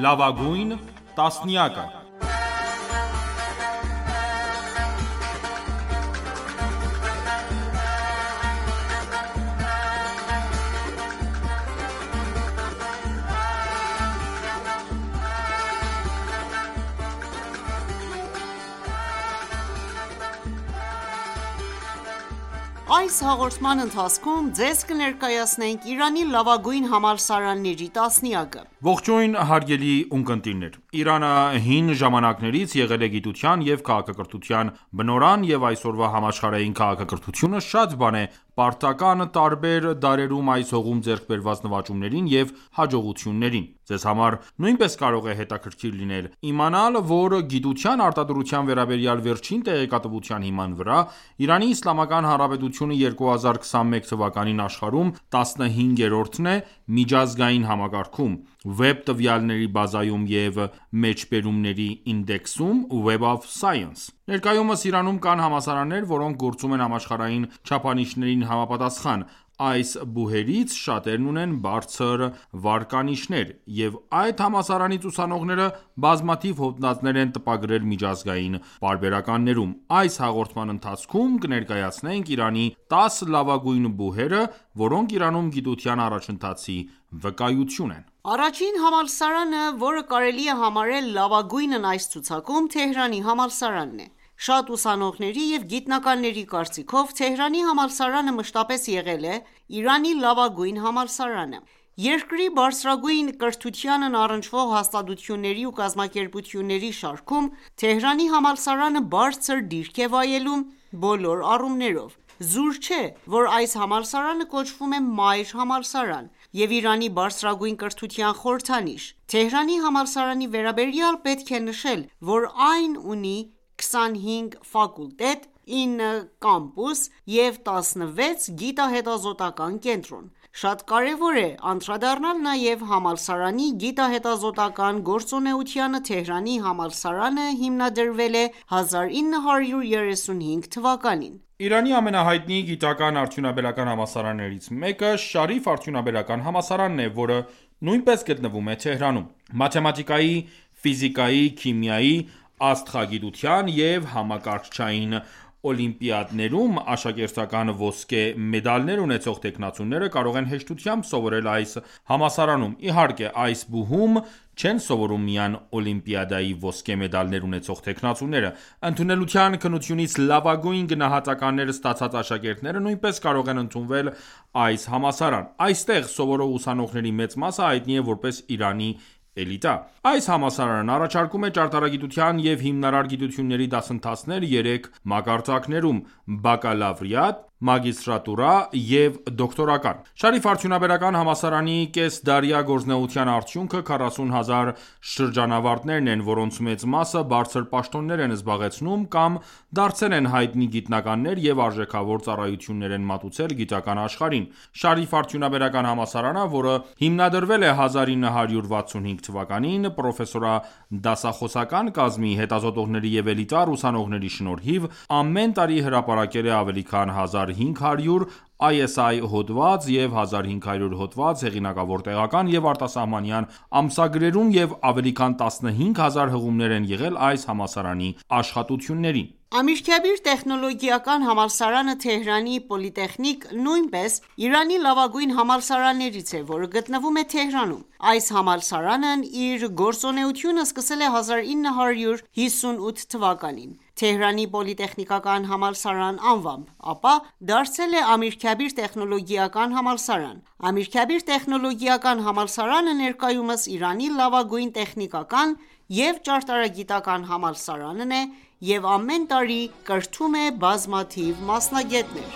Լավագույն տասնյակը։ Այս հաղորդման ընթացքում ձեզ կներկայացնենք Իրանի լավագույն համալսարանների տասնյակը։ Ողջույն հարգելի ունկնդիրներ: Իրանը հին ժամանակներից եղել է գիտության և քաղաքակրթության բնօրրան և այսօրվա համաշխարհային քաղաքակրթությունը շատ բան է պարտական տարբեր դարերում այս հողում ձեռք բերված նվաճումներին և հաջողություններին: Ձեզ համար նույնպես կարող է հետաքրքիր լինել իմանալ, որ գիտության արտադրության վերաբերյալ վերջին տեղեկատվության հիման վրա Իրանի Իսլամական Հանրապետությունը 2021 թվականին աշխարհում 15-րդն է միջազգային համակարգում Web տվյալների բազայում և մեջբերումների ինդեքսում Web of Science: Ներկայումս Իրանում կան համալսարաններ, որոնք գործում են համաշխարհային չափանիշներին համապատասխան: Այս բուհերից շատերն ունեն բարձր վարկանիշներ, և այդ համալսարանից ուսանողները բազմաթիվ հոդվածներ են տպագրել միջազգային պարբերականներում: Այս հաղորդման ընթացքում կներկայացնենք Իրանի 10 լավագույն բուհերը, որոնք Իրանում գիտության առաջընթացի վկայություն են: Առաջին համալսարանը, որը կարելի է համարել լավագույնն այս ցուցակում, Թեհրանի համալսարանն է: Շատ ուսանողների և գիտնականների կարծիքով, Թեհրանի համալսարանը մշտապես եղել է Իրանի լավագույն համալսարանը: Երկրի բարձրագույն կրթությանն առնչվող հաստատությունների ու կազմակերպությունների շարքում Թեհրանի համալսարանը բարձր դիրք է վայելում բոլոր առումներով: Զուր չէ, որ այս համալսարանը կոչվում է մայր համալսարան և Իրանի բարձրագույն կրթության խորհրդանիշ: Թեհրանի համալսարանի վերաբերյալ պետք է նշել, որ այն ունի 25 ֆակուլտետ, 9 կամպուս և 16 գիտահետազոտական կենտրոն: Շատ կարևոր է անդրադառնալ նաև համալսարանի գիտահետազոտական գործունեությանը: Թեհրանի համալսարանը հիմնադրվել է 1935 թվականին: Իրանի ամենահայտնի գիտական արդյունաբերական համալսարաններից մեկը Շարիֆ արդյունաբերական համալսարանն է, որը նույնպես գտնվում է Թեհրանում: Մաթեմատիկայի, ֆիզիկայի, քիմիայի, աստղագիտության և համակարգչային օլիմպիադներում աշակերտական ոսկե մեդալներ ունեցող թեկնածուները կարող են հեշտությամբ սովորել այս համալսարանում: Իհարկե, այս բուհում չեն սովորում միայն օլիմպիադայի ոսկե մեդալներ ունեցող թեկնածուները: Ընդունելության քննությունից լավագույն գնահատականներ ստացած աշակերտները նույնպես կարող են ընդունվել այս համալսարան: Այստեղ սովորող ուսանողների մեծ մասը հայտնի է որպես Իրանի էլիտա: Այս համալսարանն առաջարկում է ճարտարագիտության և հիմնարար գիտությունների դասընթացներ 3 մակարդակներում՝ բակալավրիատ, մագիստրատուրա և դոկտորական: Շարիֆ արդյունաբերական համալսարանի կեսդարյա գործունեության արդյունքը 40,000 շրջանավարտներն են, որոնց մեծ մասը բարձր պաշտոններ են զբաղեցնում կամ դարձել են հայտնի գիտնականներ և արժեքավոր ծառայություններ են մատուցել գիտական աշխարհին: Շարիֆ արդյունաբերական համալսարանը, որը հիմնադրվել է 1965 թվականին պրոֆեսորադասախոսական կազմի, հետազոտողների և էլիտար ուսանողների շնորհիվ, ամեն տարի հրապարակել է ավելի քան 1500 ISI հոդված և 1500 հոդված հեղինակավոր տեղական և արտասահմանյան ամսագրերում և ավելի քան 15000 հղումներ են եղել այս համալսարանի աշխատություններին: Ամիրքաբիր տեխնոլոգիական համալսարանը Թեհրանի պոլիտեխնիկ նույնպես Իրանի լավագույն համալսարաններից է, որը գտնվում է Թեհրանում: Այս համալսարանն իր գործունեությունը սկսել է 1958 թվականին Թեհրանի պոլիտեխնիկական համալսարան անվամբ, ապա դարձել է Ամիրքաբիր տեխնոլոգիական համալսարան: Ամիրքաբիր տեխնոլոգիական համալսարանը ներկայումս Իրանի լավագույն տեխնիկական և ճարտարագիտական համալսարանն է և ամեն տարի կրթում է բազմաթիվ մասնագետներ: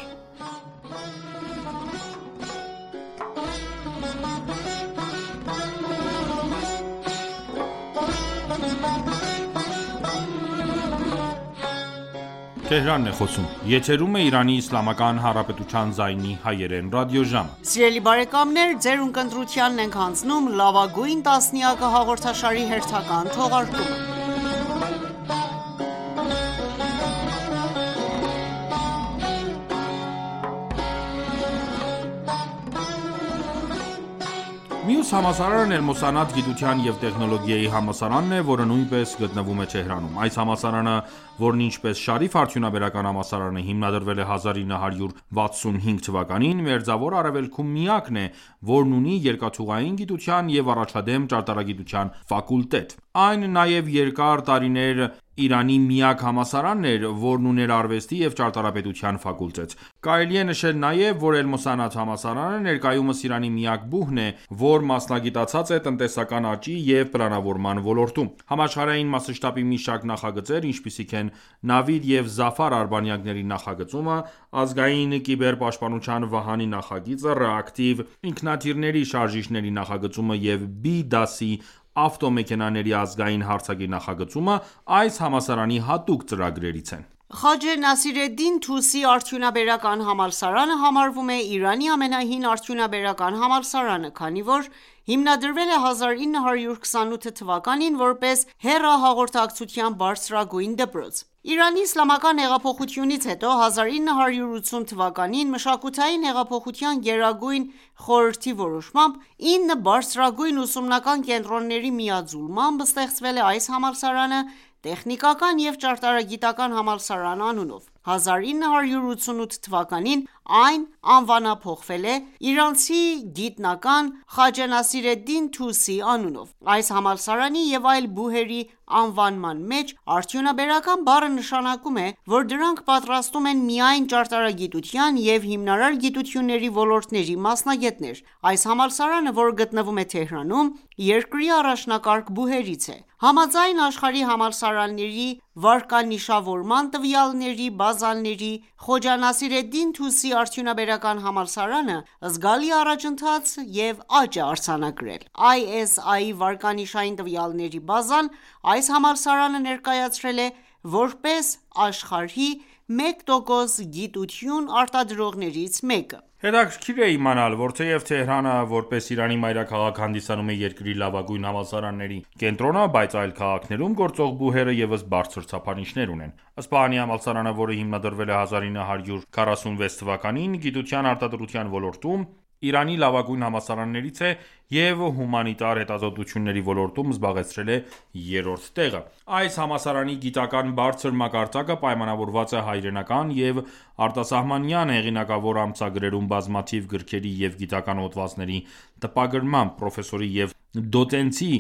Մյուս համալսարանն Էլ-Մոսանաթ գիտության և տեխնոլոգիայի համալսարանն է, որը նույնպես գտնվում է Թեհրանում։ Այս համալսարանը, որն ինչպես Շարիֆ արդյունաբերական համալսարանը հիմնադրվել է 1965 թվականին, Մերձավոր Արևելքում միակն է, որն ունի երկաթուղային գիտության և առաջադեմ ճարտարագիտության ֆակուլտետ։ Այն նաև երկար տարիներ Իրանի միակ համալսարանն էր, որն ուներ արվեստի և ճարտարապետության ֆակուլտետ։ Կարելի է նշել նաև, որ Էլ-Մոսանաթ համալսարանը ներկայումս Իրանի միակ ԲՈՒՀ-ն է, որ մասնագիտացած է տնտեսական աճի և պլանավորման ոլորտում։ Համաշխարհային մասշտաբի մի շարք նախագծեր, ինչպիսիք են Նավիդ և Զաֆար արբանյակների նախագծումը, ազգային կիբերպաշտպանության վահանի նախագիծը, ռեակտիվ ինքնաթիռների շարժիչների նախագծումը և B դասի ավտոմեքենաների ազգային հարցակի նախագծումը այս համալսարանի հատուկ ծրագրերից են։ Խաջե Նասիրեդդին Թուսի արդյունաբերական համալսարանը համարվում է Իրանի ամենահին արդյունաբերական համալսարանը, քանի որ հիմնադրվել է 1928 թվականին որպես հեռահաղորդակցության բարձրագույն դպրոց։ Իրանի իսլամական հեղափոխությունից հետո 1980 թվականին Մշակութային հեղափոխության գերագույն խորհրդի որոշմամբ 9 բարձրագույն ուսումնական կենտրոնների միաձուլմամբ ստեղծվել է այս համալսարանը Տեխնիկական և ճարտարագիտական համալսարան անունով։ 1988 թվականին այն անվանափոխվել է իրանցի գիտնական Խաջե Նասիրեդդին Թուսի անունով։ Այս համալսարանի և այլ ԲՈՒՀ-երի անվանման մեջ արդյունաբերական բառը նշանակում է, որ դրանք պատրաստում են միայն ճարտարագիտության և հիմնարար գիտությունների ոլորտների մասնագետներ։ Այս համալսարանը, որը գտնվում է Թեհրանում, երկրի առաջնակարգ ԲՈՒՀ-երից է։ Համաձայն աշխարհի համալսարանների վարկանիշավորման տվյալների բազաների, Խոջա Նասիրեդդին Թուսի արդյունաբերական համալսարանը զգալի առաջընթաց և աճ է արձանագրել։ ISI վարկանիշային տվյալների բազան այս համալսարանը ներկայացրել է որպես աշխարհի 1% գիտություն արտադրողներից մեկը։ Հետաքրքիր է իմանալ, որ թեև Թեհրանը, որպես Իրանի մայրաքաղաք, հանդիսանում է երկրի լավագույն համալսարանների կենտրոնը, բայց այլ քաղաքներում գործող ԲՈՒՀ-երը ևս բարձր չափանիշներ ունեն։ Սպահանի համալսարանը, որը հիմնադրվել է 1946 թվականին, գիտության արտադրության ոլորտում Իրանի լավագույն համալսարաններից է և հումանիտար հետազոտությունների ոլորտում զբաղեցրել է 3-րդ տեղը։ Այս համալսարանի գիտական բարձր մակարդակը պայմանավորված է հայրենական և արտասահմանյան հեղինակավոր ամսագրերում բազմաթիվ գրքերի և գիտական հոդվածների տպագրմամբ, պրոֆեսորի և դոցենտի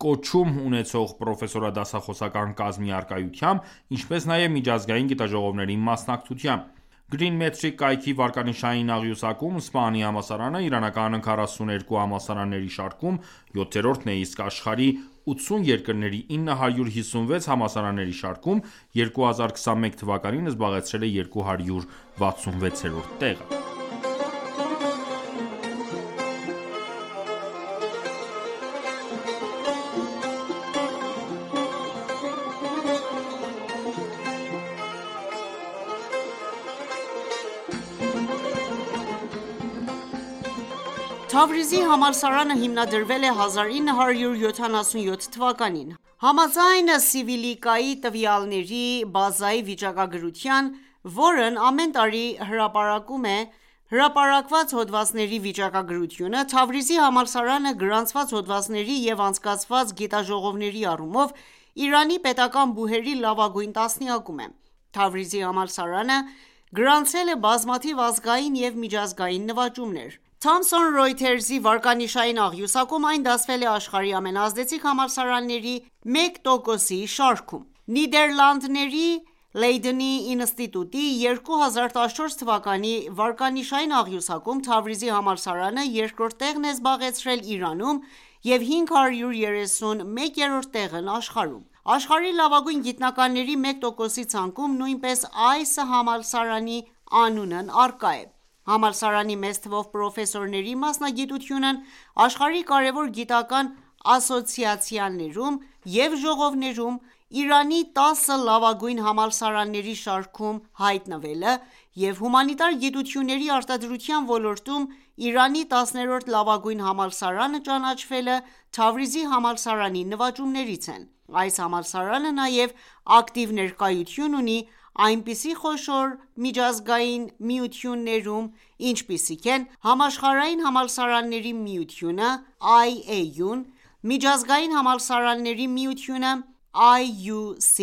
կոչում ունեցող պրոֆեսորադասախոսական կազմի առկայությամբ, ինչպես նաև միջազգային գիտաժողովների մասնակցությամբ։ Green Metric կայքի վարկանիշային աղյուսակում Սպահանի համալսարանը իրանական 42 համալսարանների շարքում 7-րդն է, իսկ աշխարհի 80 երկրների 956 համալսարանների շարքում 2021 թվականին զբաղեցրել է 266-րդ տեղը։ Թավրիզի համալսարանը հիմնադրվել է 1977 թվականին։ Համաձայն Սիվիլիկայի տվյալների բազայի վիճակագրության, որն ամեն տարի հրապարակում է հրապարակված հոդվածների վիճակագրությունը, Թավրիզի համալսարանը գրանցված հոդվածների և անցկացված գիտաժողովների առումով Իրանի պետական ԲՈՒՀ-երի լավագույն տասնյակում է։ Թավրիզի համալսարանը գրանցել է բազմաթիվ ազգային և միջազգային նվաճումներ։ Thomson Reuters-ի վարկանիշային աղյուսակում այն դասվել է աշխարհի ամենաազդեցիկ համալսարանների 1%-ի շարքում։ Նիդերլանդների Լեյդենի ինստիտուտի 2014 թվականի վարկանիշային աղյուսակում Թավրիզի համալսարանը երկրորդ տեղն է զբաղեցրել Իրանում և 531-րդ տեղն աշխարհում։ Աշխարհի լավագույն գիտնականների 1%-ի ցանկում նույնպես այս համալսարանի անունն առկա է։ Համալսարանի մեծ թվով պրոֆեսորների մասնագիտությունն աշխարհի կարևոր գիտական ասոցիացիաներում և ժողովներում Իրանի 10 լավագույն համալսարանների շարքում հայտնվելը և հումանիտար գիտությունների արտադրության ոլորտում Իրանի 10-րդ լավագույն համալսարանը ճանաչվելը Թավրիզի համալսարանի նվաճումներից են։ Այս համալսարանը նաև ակտիվ ներկայություն ունի այնպիսի խոշոր միջազգային միություններում, ինչպիսիք են Համաշխարհային համալսարանների միությունը (IAU), Միջազգային համալսարանների միությունը (IUC)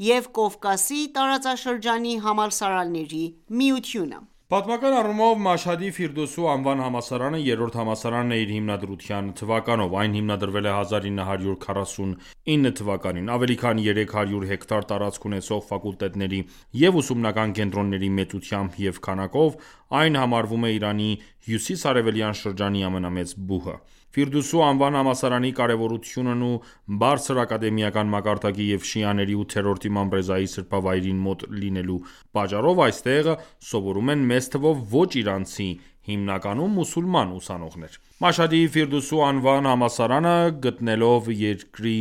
և Կովկասի տարածաշրջանի համալսարանների միությունը։ Պատմական առումով Մաշհադի Ֆիրդուսու անվան համալսարանը երրորդ համալսարանն է իր հիմնադրության թվականով: Այն հիմնադրվել է 1949 թվականին։ Ավելի քան 300 հեկտար տարածք ունեցող ֆակուլտետների և ուսումնական կենտրոնների մեծությամբ և քանակով այն համարվում է Իրանի հյուսիս-արևելյան շրջանի ամենամեծ բուհը։ Ֆիրդուսու անվան համալսարանի կարևորությունն ու բարձր ակադեմիական մակարդակի և շիաների 8-րդ իմամ Ռեզայի սրբավայրին մոտ լինելու պատճառով այստեղ սովորում են մեծ թվով ոչ իրանցի, հիմնականում մուսուլման ուսանողներ։ Մաշհադի Ֆիրդուսու անվան համալսարանը, գտնվելով երկրի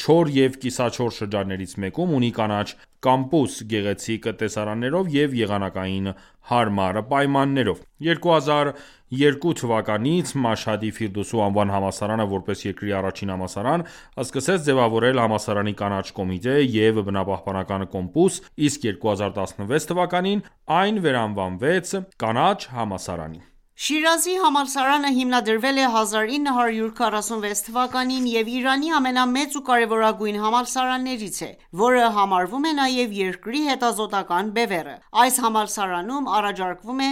չոր և կիսաչոր շրջաններից մեկում, ունի կանաչ կամպուս՝ գեղեցիկ տեսարաններով և եղանակային հարմար պայմաններով։ 2002 թվականից Մաշհադի Ֆիրդուսու անվան համալսարանը, որպես երկրի առաջին համալսարան, սկսեց ձևավորել համալսարանի կանաչ կոմիտե և բնապահպանական կոմպուս, իսկ 2016 թվականին այն վերանվանվեց կանաչ համալսարանի։ Շիրազի համալսարանը հիմնադրվել է 1946 թվականին և Իրանի ամենամեծ ու կարևորագույն համալսարաններից է, որը համարվում է նաև երկրի հետազոտական բևեռը։ Այս համալսարանում առաջարկվում է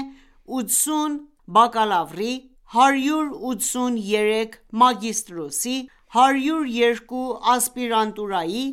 80 բակալավրի, 183 մագիստրոսի, 102 ասպիրանտուրայի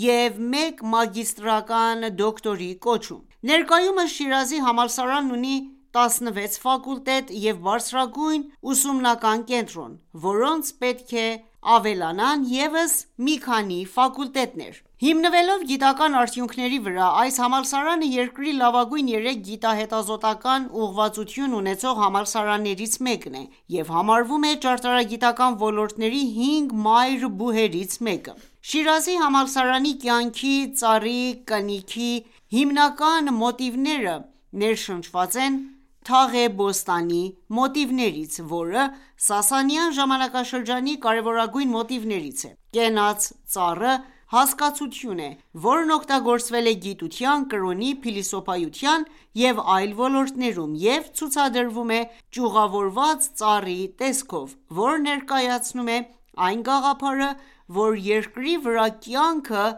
և 1 մագիստրական դոկտորի կոչում։ Ներկայումս Շիրազի համալսարանն ունի 16 ֆակուլտետ և բարձրագույն ուսումնական կենտրոն, որոնց պետք է ավելանան ևս մի քանի ֆակուլտետներ։ Հիմնվելով գիտական արդյունքների վրա, այս համալսարանը երկրի լավագույն 3 գիտահետազոտական ուղղվածություն ունեցող համալսարաններից մեկն է և համարվում է ճարտարագիտական ոլորտների 5 մայր բուհերից մեկը։ Շիրազի համալսարանի կյանքի ծառի կնիքի հիմնական մոտիվները ներշնչված են Թաղ Բոստանի մոտիվներից, որը Սասանյան ժամանակաշրջանի կարևորագույն մոտիվներից է։ Կենաց ծառը հասկացություն է, որն օգտագործվել է գիտության, կրոնի, փիլիսոփայության և այլ ոլորտներում և ցուցադրվում է ճյուղավորված ծառի տեսքով, որը ներկայացնում է այն գաղափարը, որ երկրի վրա կյանքը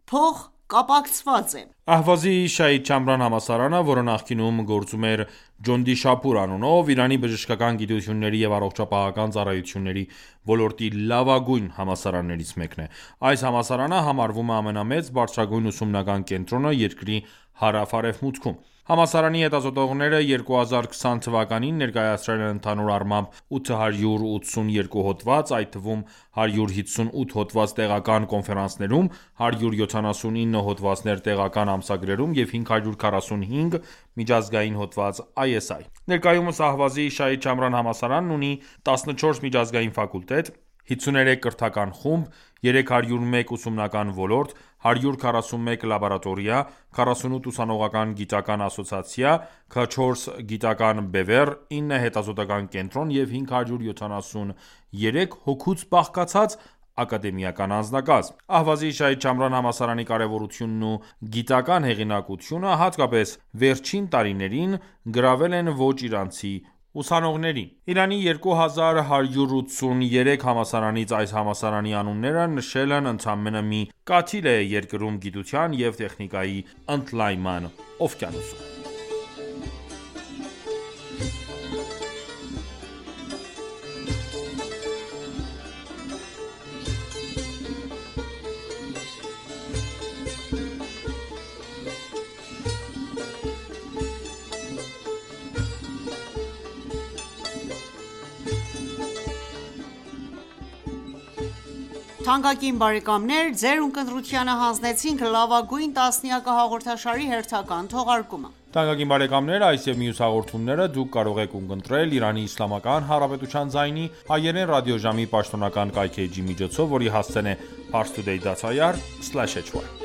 փոխկապակցված է։ Ահվազի Շահիդ Չամրան համալսարանը, որը նախկինում գործում էր Ջոնդիշափուր անունով, Իրանի բժշկական գիտությունների և առողջապահական ծառայությունների ոլորտի լավագույն համալսարաններից մեկն է։ Այս համալսարանը համարվում է ամենամեծ բարձրագույն ուսումնական կենտրոնը երկրի հարավ-արևմուտքում։ Համալսարանի հետազոտողները 2020 թվականին ներկայացրել են ընդհանուր առմամբ 882 հոդված, այդ թվում 158 հոդված տեղական կոնֆերանսներում, 179 հոդվածներ տեղական ամսագրերում և 545 միջազգային հոդված ISI։ Ներկայումս Ահվազի Շահիդ Չամրան համալսարանն ունի 14 միջազգային ֆակուլտետ, 53 կրթական խումբ, 301 ուսումնական ոլորտ, 141 լաբորատորիա, 48 ուսանողական գիտական ասոցիացիա, 4 գիտական բևեռ, 9 հետազոտական կենտրոն և 573 հոգուց բաղկացած ակադեմիական անձնակազմ։ Ահվազի Շահիդ Չամրան համալսարանի կարևորությունն ու գիտական հեղինակությունը հատկապես վերջին տարիներին գրավել են ոչ իրանցի ուսանողներին։ Իրանի 2183 համալսարանից այս համալսարանի անունները նշելն ընդամենը մի կաթիլ է երկրում գիտության և տեխնիկայի ընդլայնման օվկիանոսում։ Թանկագին բարեկամներ, ձեր ունկնդրությանը հանձնեցինք լավագույն տասնյակը հաղորդաշարի հերթական թողարկումը։ Թանկագին բարեկամներ, այս եւ մյուս հաղորդումները դուք կարող եք ունկնդրել Իրանի Իսլամական Հանրապետության ձայնի հայերեն ռադիոժամի պաշտոնական կայքէջի միջոցով, որի հասցեն է parstoday.ir/hy